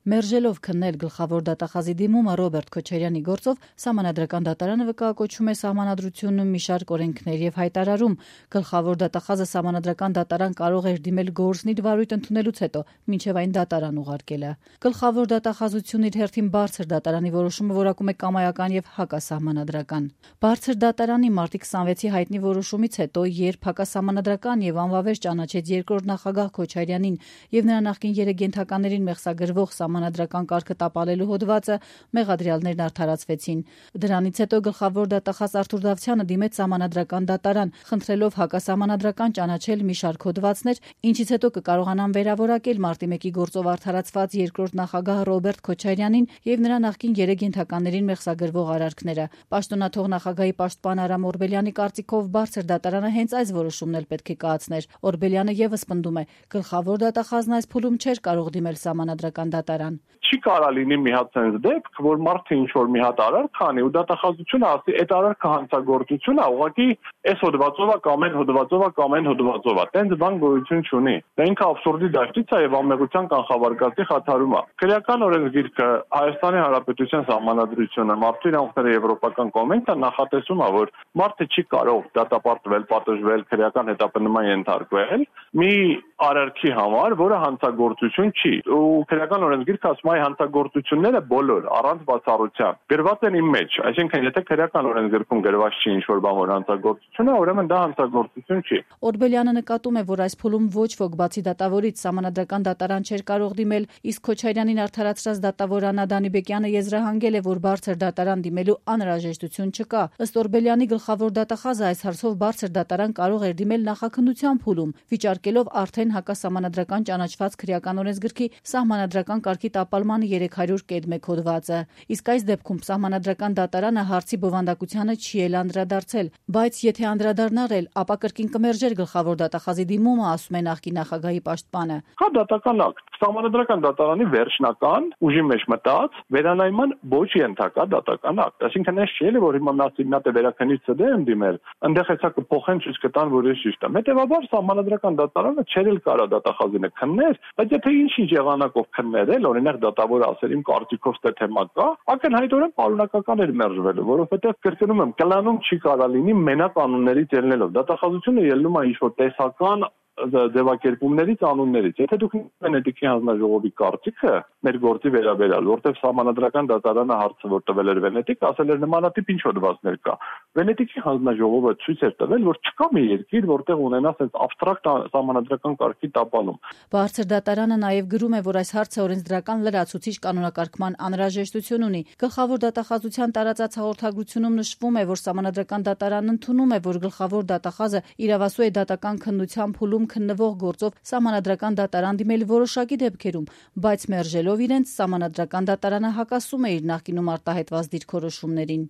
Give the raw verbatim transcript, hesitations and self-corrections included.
Մերժելով քննել գլխավոր դատախազի դիմումը Ռոբերտ Քոչարյանի գործով, Սահմանադրական դատարանը վկայակոչում է Սահմանադրությունում մի շարք օրենքներ եւ հայտարարում. գլխավոր դատախազը Սահմանադրական դատարան կարող էր դիմել գործնի վարույթ ընդունելուց հետո, մինչեւ այն դատարան ուղարկելը։ Գլխավոր դատախազությունն իր հերթին բարձր դատարանի որոշումը որակում է կամայական եւ հակասահմանադրական։ Բարձր դատարանի մարտի քսանվեցի հայտնի որոշումից հետո, երբ հակասահմանադրական եւ անվավեր ճանաչեց երկրորդ նախագահ Քոչարյանին եւ նրա նախկին երեք ենթականերին մեղսագրվող Սահմանադրական կարգը տապալելու հոդվածը, մեղադրյալներն արդարացվեցին։ Դրանից հետո գլխավոր դատախազ Արթուր Դավթյանը դիմեց Սահմանադրական դատարան, խնդրելով հակասահմանադրական ճանաչել մի շարք հոդվածներ, ինչից հետո կկարողանան վերավորակել մարտի մեկի գործով արդարացված երկրորդ նախագահ Ռոբերտ Քոչարյանին եւ նրա նախկին երեք ենթականերին մեղսագրվող արարքները։ Պաշտոնաթող նախագահի պաշտպան Արամ Օրբելյանի կարծիքով բարձր դատարանը հենց այս որոշումն էլ պետք է կայացներ։ Օրբելյանը եւս պնդում է, գլխավոր դատախազն այս փուլում չէր կարող դիմել Սահմանադրական դատարան։ Չի կարա լինի մի հատ sense դեպք, որ մարդը ինչ որ մի հատ արարք անի ու դատախազությունը ասի, այդ արարքը հանցագործություն է, ուղղակի այս հոդվածով է կամ այն հոդվածով է կամ այն հոդվածով է։ Տենց բան գոյություն չունի։ Դա ինքը абսուրդի դաշտից է եւ անմեղության կանխավարկածի խաթարում է։ Քրեական օրենսգիրքը, Հայաստանի Հանրապետության Սահմանադրությունը, Մարդու իրավունքների եվրոպական կոնվենցիան նախատեսում է, որ մարդը չի կարող դատապարտվել, պատժվել, քրեական հետապնդման ենթարկվել մի արարքի համար, որը հանցագործություն չի։ Ու քրեական օրենսգիրքը ասում է հանցագործությունները բոլոր առանց բացառության գրված են իմ մեջ, այսինքն եթե քրեական օրենսգիրքում գրված չի ինչ-որ բան, որ հանցագործություն է, ուրեմն դա հանցագործություն չի։ Օրբելյանը նկատում է, որ այս փուլում ոչ ոք բացի դատավորից Սահմանադրական դատարան չէր կարող դիմել, իսկ Քոչարյանին արդարացրած դատավոր Աննա Դանիբեկյանը եզրահանգել է, որ բարձր դատարան դիմելու անհրաժեշտություն չկա։ Ըստ Օրբելյանի գլխավոր դատախազը այս հարցով բարձր դատարան կարող էր դիմել նախաքննության փուլում, վիճարկելով արդեն հակասահմանադրական ճանաչված քրեական օրենսգրքի Սահմանադրական կարգի տապալման երեք հարյուր կետ մեկ հոդվածը։ Իսկ այս դեպքում Սահմանադրական դատարանը հարցի բովանդակությանը չի էլ անդրադարձել, բայց եթե անդրադառնար էլ, ապա կրկին կմերժեր գլխավոր դատախազի դիմումը, ասում է նախկին նախագահի պաշտպանը։ Հա դատական ակտ, Սահմանադրական դատարանի վերջնական ուժի մեջ մտած վերանայման ոչ ենթակա դատական ակտ։ Այսինքն այս չէ, որ հիմա մասնատե վերաքննիչ ցդ եմ դիմել, այնտեղ հեսա կփոխեն ցույց կտան, որ ես ճիշտ եմ։ Հետևաբար Սահմանադրական դատարանը չէր էլ կարա դատախազինը քններ, բայց եթե ինչ-ինչ եղանակով քններ էլ, օրինակ դատավորը ասել իմ կարծիքով ստե թեմա կա, ակնհայտորեն պարունակական էր մերժվելու, որովհետև կրկնում եմ, կլանում չի կարա լինի մենակ անուններից ելնելով։ Դատախազությունը ելնում է ինչ-որ տեսական ձևակերպումներից, անուններից։ Եթե դուք Վենետիկի հանձնաժողովի կարծիքը մեր գործի վերաբերյալ, որտեղ Սահմանադրական դատարանը հարցը որ տվել էր Վենետիկ, ասել էր նմանատիպ ինչ հոդվածներ կա։ Վենետիկի հանձնաժողովը ցույց էր տվել, որ չկա մի երկիր, որտեղ ունենա այսպես абստրակտ Սահմանադրական կարգի տապալում։ Բարձր դատարանը նաև գրում է, որ այս հարցը օրենսդրական լրացուցիչ կանոնակարգման անհրաժեշտություն ունի։ Գլխավոր դատախազության տարածած հաղորդագրությունում նշվում է, որ Սահմանադրական դատարանն ընդունում է, որ գլխավոր դատախազը իրավասու է դատական քննության փուլում քննվող գործով Սահմանադրական դատարան դիմել որոշակի դեպքերում, բայց մերժելով իրենց Սահմանադրական դատարանը հակասում է իր նախկինում արտահայտված դիրքորոշումներին։